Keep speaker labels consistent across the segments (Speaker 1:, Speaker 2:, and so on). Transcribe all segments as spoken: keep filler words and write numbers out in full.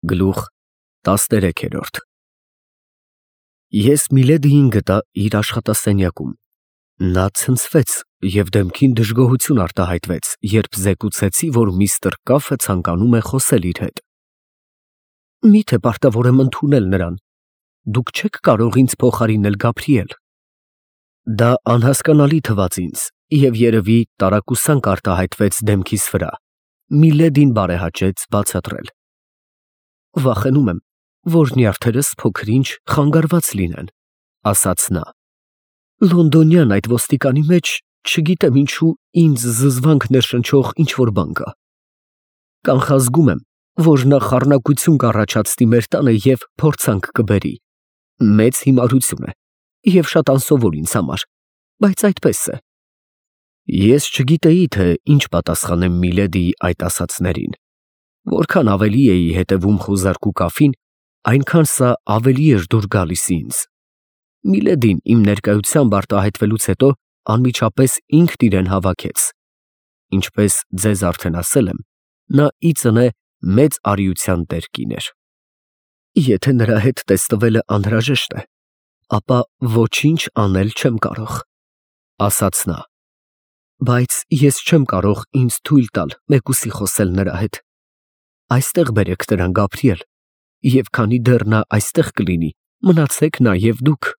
Speaker 1: Գլուխ տասներեք։ Ես Միլեդիին գտա իր աշխատասենյակում։ Նա ցնցվեց և դեմքին դժգոհություն արտահայտվեց, երբ զեկուցեցի, որ միստր Կաֆը ցանկանում է խոսել իր հետ։ Մի՞թե պարտավոր եմ ընդունել նրան։ Դուք չեք կարող ինձ փոխարինել Գաբրիել։ Դա անհասկանալի թվաց ինձ, և երևի տարակուսանք արտահայտվեց դեմքիս վրա։ Միլեդին բարեհաճեց բացատրել։ Վախենում եմ, որ նյարդերս փոքր-ինչ խանգարված լինեն, ասաց նա։ Լոնդոնյան այդ ոստիկանի մեջ չգիտեմ ինչու ինձ զզվանք ներշնչող ինչ֊որ բան կա։ Կանխազգում եմ, որ նա խառնակություն կառաջացնի մեր տանը և փորձանք կբերի։ Մեծ հիմարություն է և շատ անսովոր ինձ համար, բայց այդպես է։ Ես չգիտեի, թե ինչ պատասխանեմ Միլեդիի այդ ասացներին։ Որքան ավելի էի հետևում խուզարկու կաֆին, այնքան սա ավելի էր դուր գալիս ինձ։ Միլեդին իմ ներկայությամբ արտահայտվելուց հետո անմիջապես ինքն իրեն հավաքեց։ Ինչպես ձեզ արդեն ասել եմ, նա ի ծնե մեծ արիության տեր կին էր։ Եթե նրա հետ տեսնվելը անհրաժեշտ է, ապա ոչինչ անել չեմ կարող, ասաց նա։ Բայց ես չեմ կարող ինձ թույլ տալ մեկուսի խոսել նրա հետ։ Այստեղ բերեք նրան, Գաբրիել, և քանի դեռ նա այստեղ կլինի, մնացեք նաև դուք։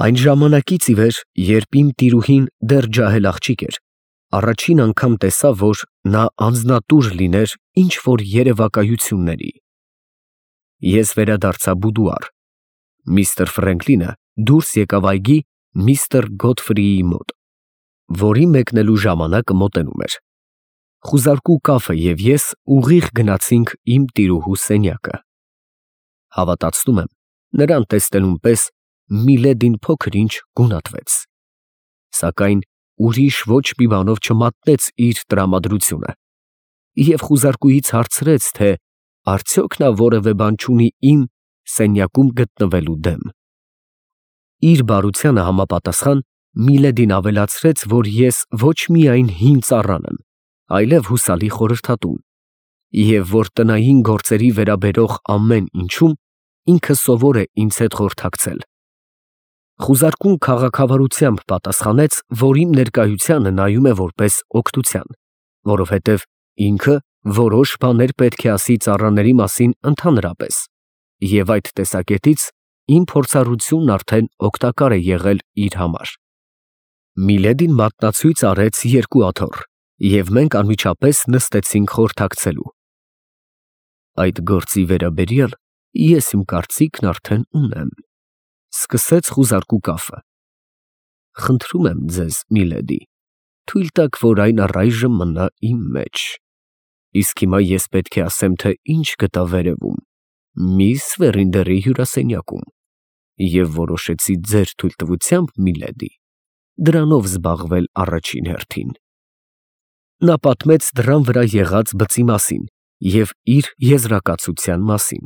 Speaker 1: Այն ժամանակից ի վեր, երբ իմ տիրուհին դեռ ջահել աղջիկ էր, առաջին անգամ տեսա, որ նա անձնատուր լիներ ինչ֊որ երևակայությունների։ Ես վերադարձա բուդուար։ Միստր Ֆրենկլինը դուրս եկավ այգի միստր Գոթֆրիի մոտ, որի մեկնելու ժամանակը մոտենում էր։ Խուզարկու կաֆը և ես ուղիղ գնացինք իմ տիրուհու սենյակը։ Հավատացնում եմ, նրան տեսնելուն պես Միլեդին փոքր-ինչ գունատվեց։ Սակայն ուրիշ ոչ մի բանով չմատնեց իր տրամադրությունը և խուզարկուից հարցրեց, թե արդյոք նա որևէ բան չունի իմ սենյակում գտնվելու դեմ։ Իր բարությանը համապատասխան Միլեդին ավելացրեց, որ ես ոչ միայն հին ծառան եմ, այլև հուսալի խորհրդատուն, և որ տնային գործերի վերաբերող ամեն ինչում ինքը սովոր է ինձ հետ խորհրդակցել։ Խուզարկուն քաղաքավարությամբ պատասխանեց, որ իմ ներկայությանը նայում է որպես օգնության, որովհետև ինքը որոշ բաներ պետք է ասի ծառաների մասին ընդհանրապես, և այդ տեսակետից իմ փորձառությունն արդեն օգտակար է եղել իր համար։ Միլեդին մատնացույց արեց երկու աթոռ, և մենք անմիջապես նստեցինք խորհրդակցելու։ Այդ գործի վերաբերյալ ես իմ կարծիքն արդեն ունեմ, սկսեց խուզարկու կաֆը։ Խնդրում եմ ձեզ, Միլեդի, թույլ տաք, որ այն առայժմ մնա իմ մեջ։ Իսկ հիմա ես պետք է ասեմ, թե ինչ գտա վերևում, միս Վերինդերի հյուրասենյակում, և որոշեցի ձեր թույլտվությամբ, Միլեդի, դրանով զբաղվել առաջին հերթին։ Նա պատմեց դռան վրա եղած բծի մասին և իր եզրակացության մասին,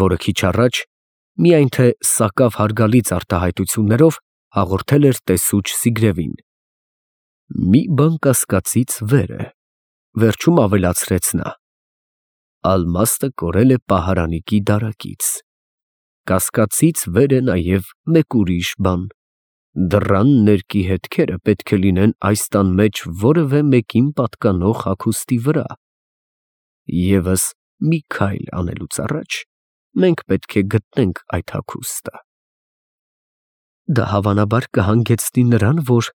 Speaker 1: որը քիչ առաջ, միայն թե սակավ հարգալից արտահայտություններով, հաղորդել էր տեսուչ Սիգրևին։ Մի բան կասկածից վեր է, վերջում ավելացրեց նա. Ալմաստը կորել է պահարանիկի դարակից։ Կասկածից վեր է նաև մեկ ուրիշ բան. դռան ներկի հետքերը պետք է լինեն այս տան մեջ որևէ մեկին պատկանող հագուստի վրա։ Եվս մի քայլ անելուց առաջ մենք պետք է գտնենք այդ հագուստը։ Դա հավանաբար կհանգեցնի նրան, որ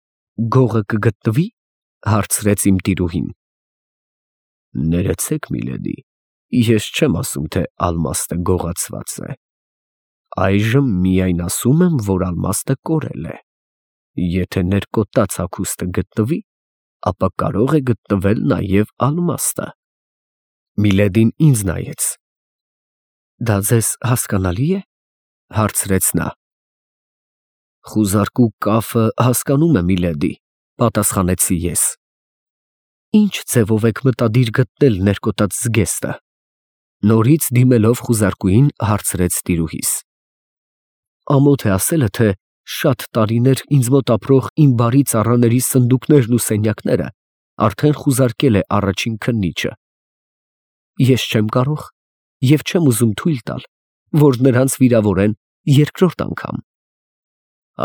Speaker 1: գողը կգտնվի, հարցրեց իմ տիրուհին։ Ներեցեք, Միլեդի, ես չեմ ասում, թե ալմաստը գողացված է։ Այժմ միայն ասում եմ, որ ալմաստը կորել է։ Եթե ներկոտած հագուստը գտնվի, ապա կարող է գտնվել նաև ալմաստը։ Միլեդին ինձ նայեց։ Դա ձեզ հասկանալի է, հարցրեց նա։ Խուզարկու կաֆը հասկանում է, Միլեդի, պատասխանեցի ես։ Ինչ ձևով եք մտադիր գտնել ներկոտած զգեստը, նորից դիմելով խուզարկուին հարցրեց տիրուհիս։ Ամոթ է ասելը, թե շատ տարիներ ինձ մոտ ապրող իմ բարի ծառաների սնդուկներն ու սենյակները արդեն խուզարկել է առաջին քննիչը։ Ես չեմ կարող և չեմ ուզում թույլ տալ, որ նրանց վիրավորեն երկրորդ անգամ։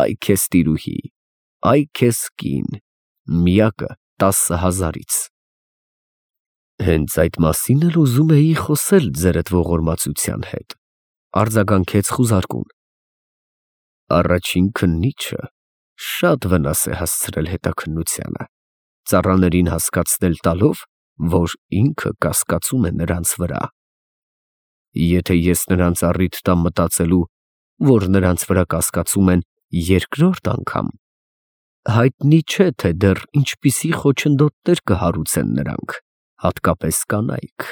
Speaker 1: Այ քեզ տիրուհի, այ քեզ կին, միակը տասը հազարից։ Հենց այդ մասին էլ ուզում էի խոսել ձերդ ողորմածության հետ, արձագանքեց խուզարկուն։ Առաջին քննիչը շատ վնաս է հասցրել հետաքննությանը, ծառաներին հասկացնել տալով, որ ինքը կասկածում է նրանց վրա։ Եթե ես նրանց առիթ տամ մտածելու, որ նրանց վրա կասկածում են երկրորդ անգամ, հայտնի չէ, թե դեռ ինչպիսի խոչընդոտներ կհարուցեն նրանք, հատկապես կանայք,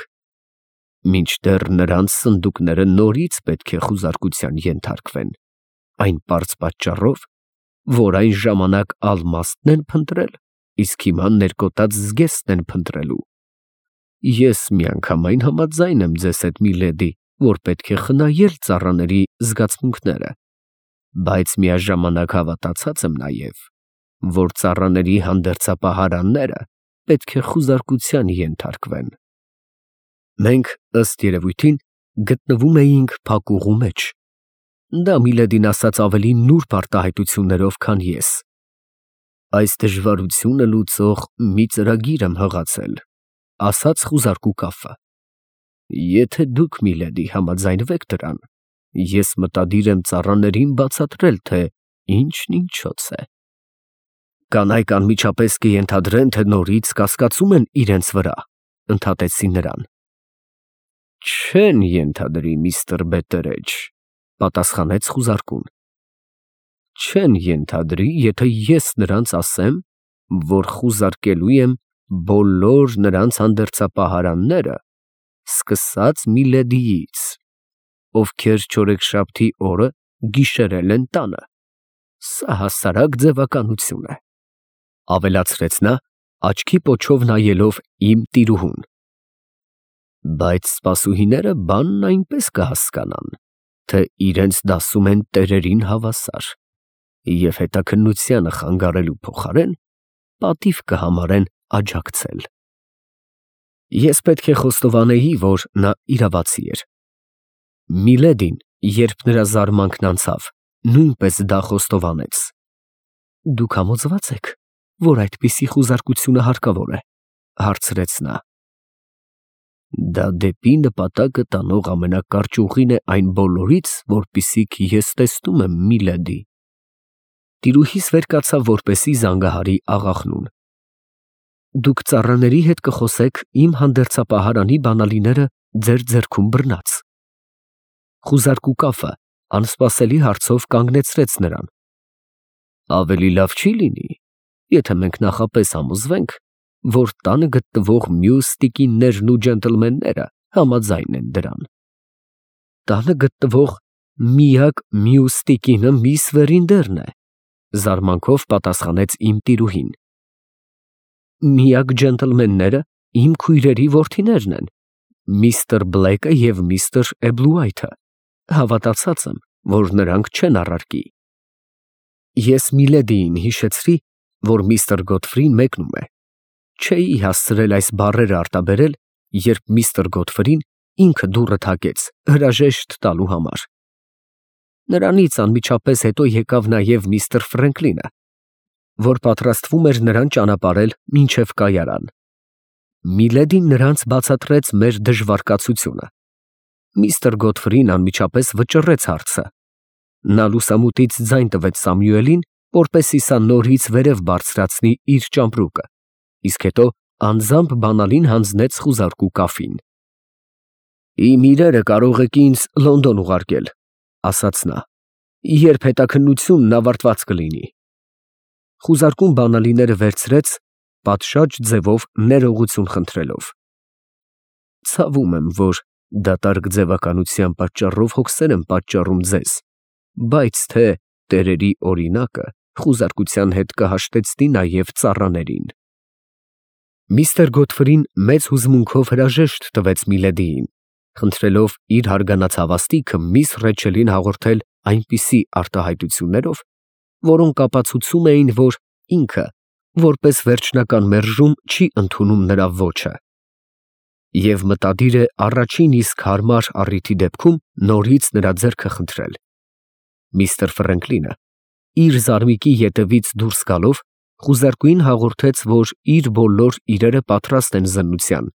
Speaker 1: մինչդեռ նրանց սնդուկները նորից պետք է խուզարկության ենթարկվեն, այն պարզ պատճառով, որ այն ժամանակ ալմաստն են փնտրել, իսկ հիմա ներկոտած զգեստն են փնտրելու։ Ես միանգամայն համաձայն եմ ձեզ հետ, միլեդի, որ պետք է խնայել ծառաների զգացմունքները, բայց միաժամանակ հավատացած եմ նաև, որ ծառաների հանդերձապահարանները պետք է խուզարկության ենթարկվեն։ Մենք, ըստ երևույթին, գտնվում էինք փակուղու մեջ։ Դա միլեդին ասաց ավելի նուրբ արտահայտություններով, քան ես։ Այս դժվարությունը լուծող մի ծրագիր եմ հղացել, ասաց խուզարկու կաֆը։ Եթե դուք, միլեդի, համաձայնվեք դրան, ես մտադիր եմ ծառաներին բացատրել, թե ինչն ինչոց է։ Կանայք անմիջապես կենթադրեն, թե նորից կասկածում են իրենց վրա, ընդհատեցի նրան։ Չեն ենթադրի, միստր Բետերեջ, պատասխանեց խուզարկուն։ Չեն ենթադրի, եթե ես նրանց ասեմ, որ խուզարկելու եմ բոլոր նրանց հանդերձապահարանները, սկսած միլեդիից, ովքեր չորեքշաբթի օրը գիշերել են տանը։ Սա հասարակ ձևականություն է, ավելացրեց նա, աչքի պոչով նայելով իմ տիրուհուն։ Բայց սպասուհիները բանն այնպես կհասկանան, թե իրենց դասում են տերերին հավասար, և հետաքննությանը խանգարելու փոխարեն պատիվ կհամարեն աջակցել։ Ես պետք է խոստովանեի, որ նա իրավացի էր։ Միլեդին, երբ նրա զարմանքն անցավ, նույնպես դա խոստովանեց։ Դուք համոզվա՞ծ եք, որ այդպիսի խուզարկությունը հարկավոր է, հարցրեց նա։ Դա դեպի նպատակը տանող ամենակարճ ուղին է այն բոլորից, որպիսիք ես տեսնում եմ, միլեդի։ Տիրուհիս վեր կացավ, որպեսզի զանգահարի աղախնուն։ Դուք ծառաների հետ կխոսեք իմ հանդերձապահարանի բանալիները ձեր ձեռքում բռնած։ Խուզարկու կաֆը անսպասելի հարցով կանգնեցրեց նրան։ Ավելի լավ չի լինի, եթե մենք նախապես համոզվենք, որ տանը գտնվող մյուս տիկիններն ու ջենտլմենները համաձայն են դրան։ Տանը գտնվող միակ մյուս տիկինը միս Վերինդերն է, զարմանքով պատասխանեց իմ տիրուհին։ Միակ ջենտլմենները իմ քույրերի որդիներն են, միստր Բլեքը և միստր Էբլուայթը, հավատացած եմ, որ նրանք չեն առարկի։ Ես միլեդիին հիշեցրի, որ միստր Գոթֆրին մեկնում է։ Չէի հասցրել այս բառերը արտաբերել, երբ միստր Գոթֆրին ինքը դուռը թակեց հրաժեշտ տալու համար։ Նրանից անմիջապես հետո եկավ նաև միստր Ֆրենկլինը, որ պատրաստվում էր նրան ճանապարհել մինչև կայարան։ Միլեդին նրանց բացատրեց մեր դժվարկացությունը։ Միստր Գոթֆրին անմիջապես վճռեց հարցը։ Նա լուսամուտից ձայն տվեց Սամյուելին, որպեսզի սա նորից վերև բարձրացնի իր ճամպրուկը, իսկ հետո անձամբ բանալին հանձնեց խուզարկու կաֆին։ Իմ իրերը կարող եք ինձ Լոնդոն ուղարկել, ասաց նա, երբ հետաքննությունն ավարտված կլինի։ Խուզարկուն բանալիները վերցրեց, պատշաճ ձևով ներողություն խնդրելով։ Ցավում եմ, որ դատարկ ձևականության պատճառով հոգսեր եմ պատճառում ձեզ, բայց թե տերերի օրինակը խուզարկության հետ կհաշտեցնի նաև ծառաներին։ Միստր Գոթֆրին մեծ հուզմունքով հրաժեշտ տվեց միլեդիին, խնդրելով իր հարգանած հավաստիքը միս Ռեչելին հաղորդել այնպիսի արտահայտություններով, որոնք ապացուցում էին, որ ինքը, որպես վերջնական մերժում, չի ընդունում նրա ոճը։ Եվ մտադիր է առաջին իսկ հարմար առիթի դեպքում նորից նրա ձեռքը խնդրել։ Միստր Ֆրենկլինը իր զարմիկի ետևից դուրս գալով խուզարկուին հաղորդեց, որ իր բոլոր իրերը պատրաստ են զննության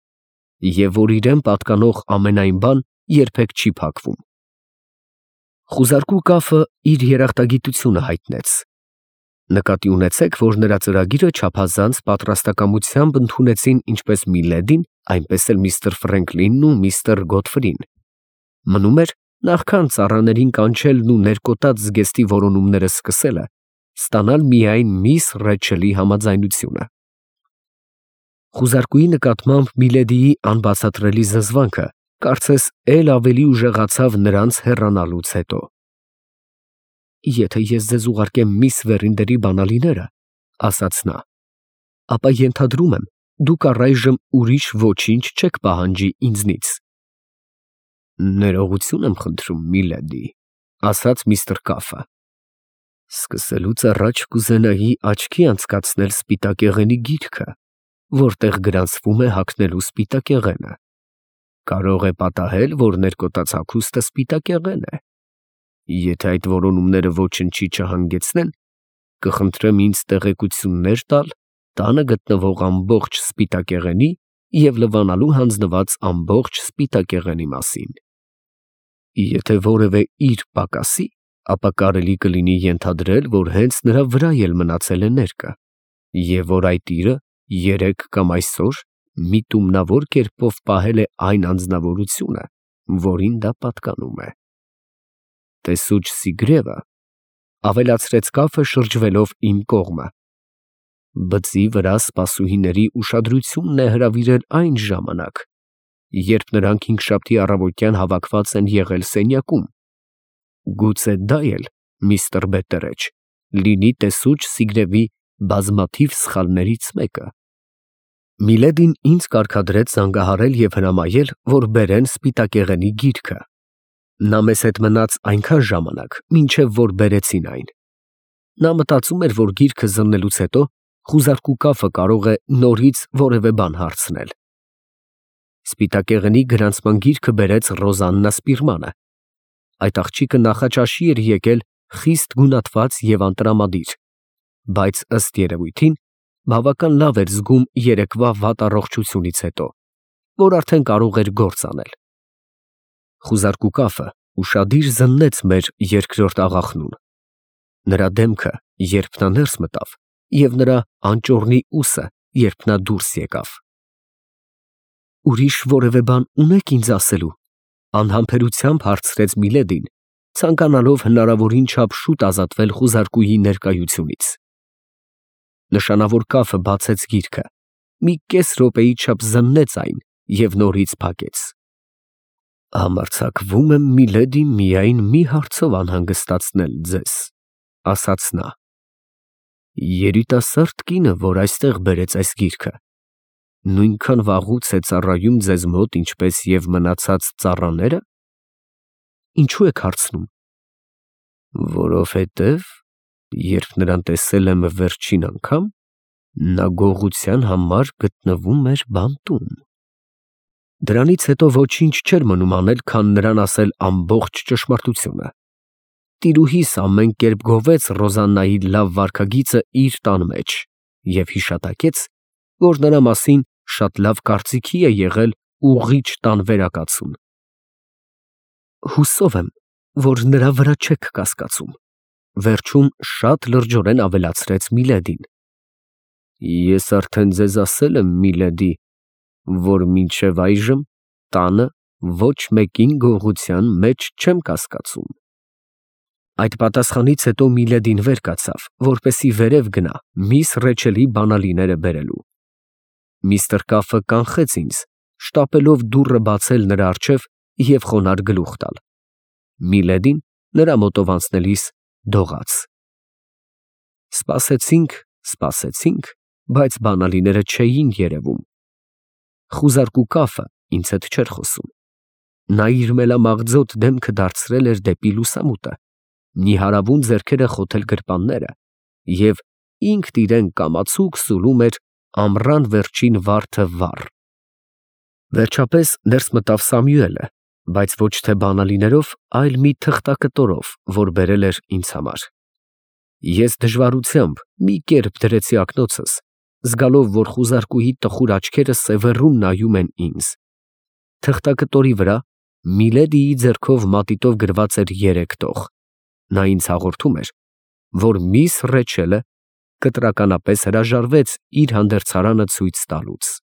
Speaker 1: և որ իրեն պատկանող ամենայն բան երբեք չի փակվում։ Խուզարկու կաֆը իր երախտագիտությունը հայտնեց։ Նկատի ունեցեք, որ նրա ծրագիրը չափազանց պատրաստակամությամբ ընդունեցին ինչպես Միլեդին, այնպես էլ միստր Ֆրենկլինն ու միստր Գոթֆրին։ Մնում էր նախքան ծառաներին կանչելն ու ներկոտած զգեստի որոնումները սկսելը, ստանալ միայն միս Ռեչելի համաձայնությունը։ Խուզարկուի նկատմամբ Միլեդիի անբացատրելի զզվանքը կարծես էլ ավելի ուժեղացավ նրանց հեռանալուց հետո։ «Եթե ես ձեզ ուղարկեմ միս Վերինդերի բանալիները, ֊ ասաց նա, ֊ ապա ենթադրում եմ, դուք առայժմ ուրիշ ոչինչ չեք պահանջի ինձնից»։ «Ներողություն եմ խնդրում, Միլեդի, ֊ ասաց միստր Կաֆը, ֊ սկսելուց առաջ կուզենայի աչքի անցկացնել սպիտակեղենի գիրքը, որտեղ գրանցվում է հագնելու սպիտակեղենը։ Կարող է պատահել, որ ներկոտած հագուստը սպիտակեղեն է։ Եթե այդ որոնումները ոչնչի չհանգեցնեն, կխնդրեմ ինձ տեղեկություններ տալ տանը գտնվող ամբողջ սպիտակեղենի և լվանալու հանձնված ամբողջ սպիտակեղենի մասին։ Եթե որևէ իր պակասի, ապա կարելի կլինի ենթադրել, որ հենց նրա վրա էլ մնացել է ներկը, և որ այդ իրը երեկ կամ այսօր միտումնավոր կերպով պահել է այն անձնավորությունը, որին դա պատկանում է։ Տեսուչ Սիգրևը, ֊ ավելացրեց Կաֆը շրջվելով իմ կողմը, ֊ բծի վրա սպասուհիների ուշադրությունն է հրավիրել այն ժամանակ, երբ նրանք հինգշաբթի առավոտյան հավաքված են եղել սենյակում։ Գուցե դա էլ, միստր Բետտերեջ, լինի տեսուչ Սիգրևի բազմաթիվ սխալներից մեկը։ Միլեդին ինձ կարգադրեց զանգահարել և հրամայել, որ բերեն սպիտակեղենի գիրքը։ Նա մեզ հետ մնաց այնքան ժամանակ, մինչև որ բերեցին այն։ Նա մտածում էր, որ գիրքը զննելուց հետո խուզարկու Կաֆը կարող է նորից որևէ բան հարցնել։ Սպիտակեղենի գրանցման գիրքը բերեց Ռոզաննա Սպիրմանը։ Այդ աղջիկը նախաճաշի էր եկել խիստ գունատված և անտրամադիր, բայց ըստ երևույթին բավական լավ էր զգում երեկվա վատ առողջությունից հետո, որ արդեն կարող էր գործ անել։ Խուզարկու Կաֆը ուշադիր զննեց մեր երկրորդ աղախնուն։ Նրա դեմքը, երբ նա ներս մտավ, և նրա անճոռնի ուսը, երբ նա դուրս եկավ։ «Ուրիշ որևէ բան ունե՞ք ինձ ասելու, ֊ անհամբերությամբ հարցրեց Միլեդին, ցանկանալով հնարավորին չափ շուտ ազատվել խուզարկուի ներկայությունից։ Նշանավոր Կաֆը բացեց գիրքը, մի կես րոպեի չափ զննեց այն և նորից փակեց։ «Համարձակվում եմ, Միլեդի, միայն մի հարցով անհանգստացնել ձեզ, ֊ ասաց նա. երիտասարդ կինը, որ այստեղ բերեց այս գիրքը, նույնքան վաղուց է ծառայում ձեզ մոտ, ինչպես և մնացած ծառաները։ Ինչու եք հարցնում։ Որովհետև, երբ նրան տեսել եմ վերջին անգամ, նա գողության համար գտնվում էր բանտում։ Դրանից հետո ոչինչ չէր մնում անել, քան նրան ասել ամբողջ ճշմարտությունը։ Տիրուհիս ամեն կերպ գովեց Ռոզաննայի լավ վարքագիծը իր տան մեջ և հիշատակեց, որ նրա մասին շատ լավ կարծիքի է եղել ուղղիչ տան վերակացուն։ Հուսով եմ, որ նրա վրա չեք կասկածում, ֊ վերջում շատ լրջորեն ավելացրեց Միլեդին։ Ես արդեն ձեզ ասել եմ, Միլեդի, որ մինչև այժմ տանը ոչ մեկին գողության մեջ չեմ կասկածում։ Այդ պատասխանից հետո Միլեդին վեր կացավ, որպեսզի վերև գնա միս Ռեչելի բանալիները բերելու։ Միստր Կաֆը կանխեց ինձ, շտապելով դուռը բացել նրա առջև և խոնարհ գլուխ տալ։ Միլեդին նրա մոտով անցնելիս դողաց։ Սպասեցինք, սպասեցինք, բայց բանալիները չէին երևում։ Խուզարկու Կաֆը ինձ հետ չէր խոսում։ Նա իր մելամաղձոտ դեմքը դարձրել էր դեպի լուսամուտը, նիհարավուն ձեռքերը խոթել գրպանները և ինքն իրեն կամացուկ սուլում էր ամռան վերջին վարդը վառ։ Վերջապես ներս մտավ Սամյուելը, բայց ոչ թե բանալիներով, այլ մի թղթակտորով, որ բերել էր ինձ համար։ Ես դժվարությամբ մի կերպ դրեցի ակնոցս, զգալով, որ խուզարկուհի տխուր աչքերը սևեռուն նայում են ինձ։ Թղթակտորի վրա Միլեդիի ձեռքով մատիտով գրված էր երեք տող։ Նա ինձ հաղորդում էր, որ միս Ռեչելը կտրականապես հրաժարվեց իր հանդերձարանը ցույց տալուց։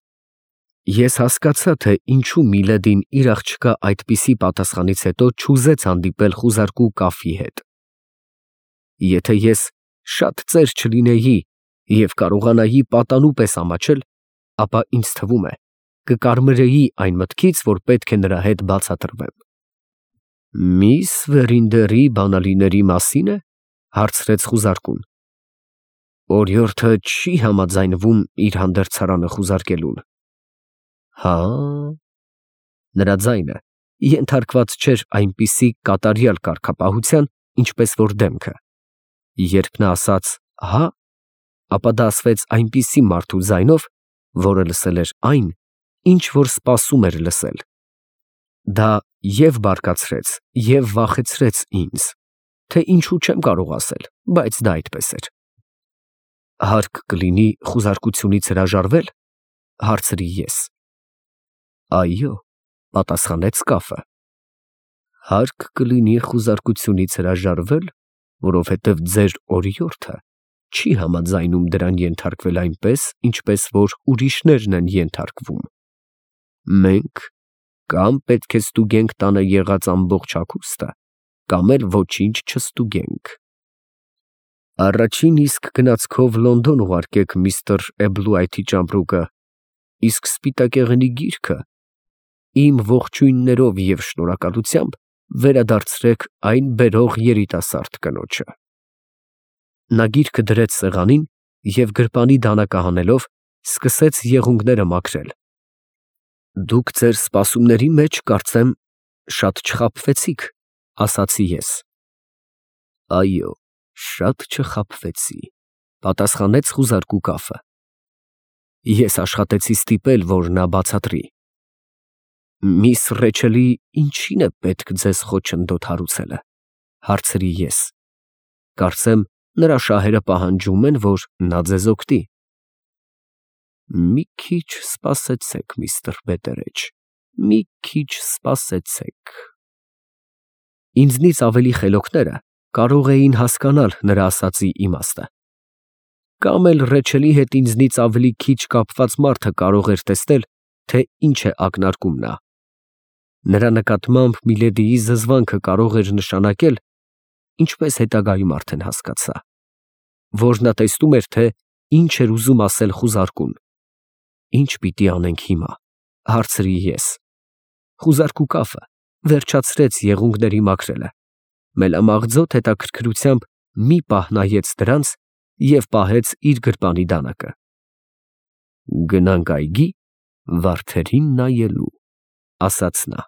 Speaker 1: Ես հասկացա, թե ինչու Միլեդին իր աղջկա այդպիսի պատասխանից հետո չուզեց հանդիպել խուզարկու Կաֆի հետ։ Եթե ես շատ ծեր չլինեի և կարողանայի պատանու պես ամաչել, ապա ինձ թվում է, կկարմրեի այն մտքից, որ պետք է նրա հետ բացատրվեմ։ Միս Վերինդերի բանալիների մասին է, հարցրեց խուզարկուն։ Օրիորդը չի համաձայնվում իր հանդերձարանը խուզարկելուն։ Հա, նրա ձայնը ենթարկված չէր այնպիսի կատարյալ կարգապահության, ինչպես որ դեմքը։ Երբ նա ասաց հա, ապա դա ասվեց այնպիսի մարդու ձայնով, որը լսել էր այն, ինչ որ սպասում էր լսել։ Դա և բարկացրեց, և վախեցրեց ինձ, թե ինչու չեմ կարող ասել, բայց դա այդպես էր։ Հարկ կլինի խուզարկությունից հրաժարվե՞լ, հարցրի ես։ Այո, պատասխանեց Կաֆը։ Հարկ կլինի խուզարկությունից հրաժարվել, որովհետև ձեր օրիորդը չի համաձայնում դրան ենթարկվել այնպես, ինչպես որ ուրիշներն են ենթարկվում։ Մենք կամ պետք է ստուգենք տանը եղած ամբողջ հագուստը, կամ էլ ոչինչ չստուգենք։ Առաջին իսկ գնացքով Լոնդոն ուղարկեք միստր Էբլուայթի ճամպրուկը, իսկ սպիտակեղենի գիրքը իմ ողջույններով և շնորհակալությամբ վերադարձրեք այն բերող երիտասարդ կնոջը։ Նա գիրքը դրեց սեղանին և գրպանի դանակը հանելով, սկսեց եղունգները մաքրել։ Դուք ձեր սպասումների մեջ, կարծեմ, շատ չխաբվեցիք, ասացի ես։ Այո, շատ չխաբվեցի, պատասխանեց խուզարկու Կաֆը։ Ես աշխատեցի ստիպել, որ նա բացատրի։ Միս Ռեչելի ինչի՞ն է պետք ձեզ խոչընդոտ հարուցելը, հարցրի ես։ Կարծեմ, նրա շահերը պահանջում են, որ նա ձեզ օգտի։ Մի քիչ սպասեցեք, միստր Բետերեջ, մի քիչ սպասեցեք։ Ինձնից ավելի խելոքները կարող էին հասկանալ նրա ասածի իմաստը։ Կամ էլ Ռեչելի հետ ինձնից ավելի քիչ կապված մարդը կարող էր տեսնել, թե ինչ է ակնարկում նա։ Նրա նկատմամբ Միլեդիի զզվանքը կարող էր նշանակել, ինչպես հետագայում արդեն հասկացա, որ նա տեսնում էր, թե ինչ էր ուզում ասել խուզարկուն։ Ինչ պիտի անենք հիմա, հարցրի ես։ Խուզարկու Կաֆը վերջացրեց եղունգների մաքրելը, մելամաղձոտ հետաքրքրությամբ մի պահ նայեց դրանց և պահեց իր գրպանի դանակը։ Գնանք այգի, վարդերին նայելու, ասաց նա։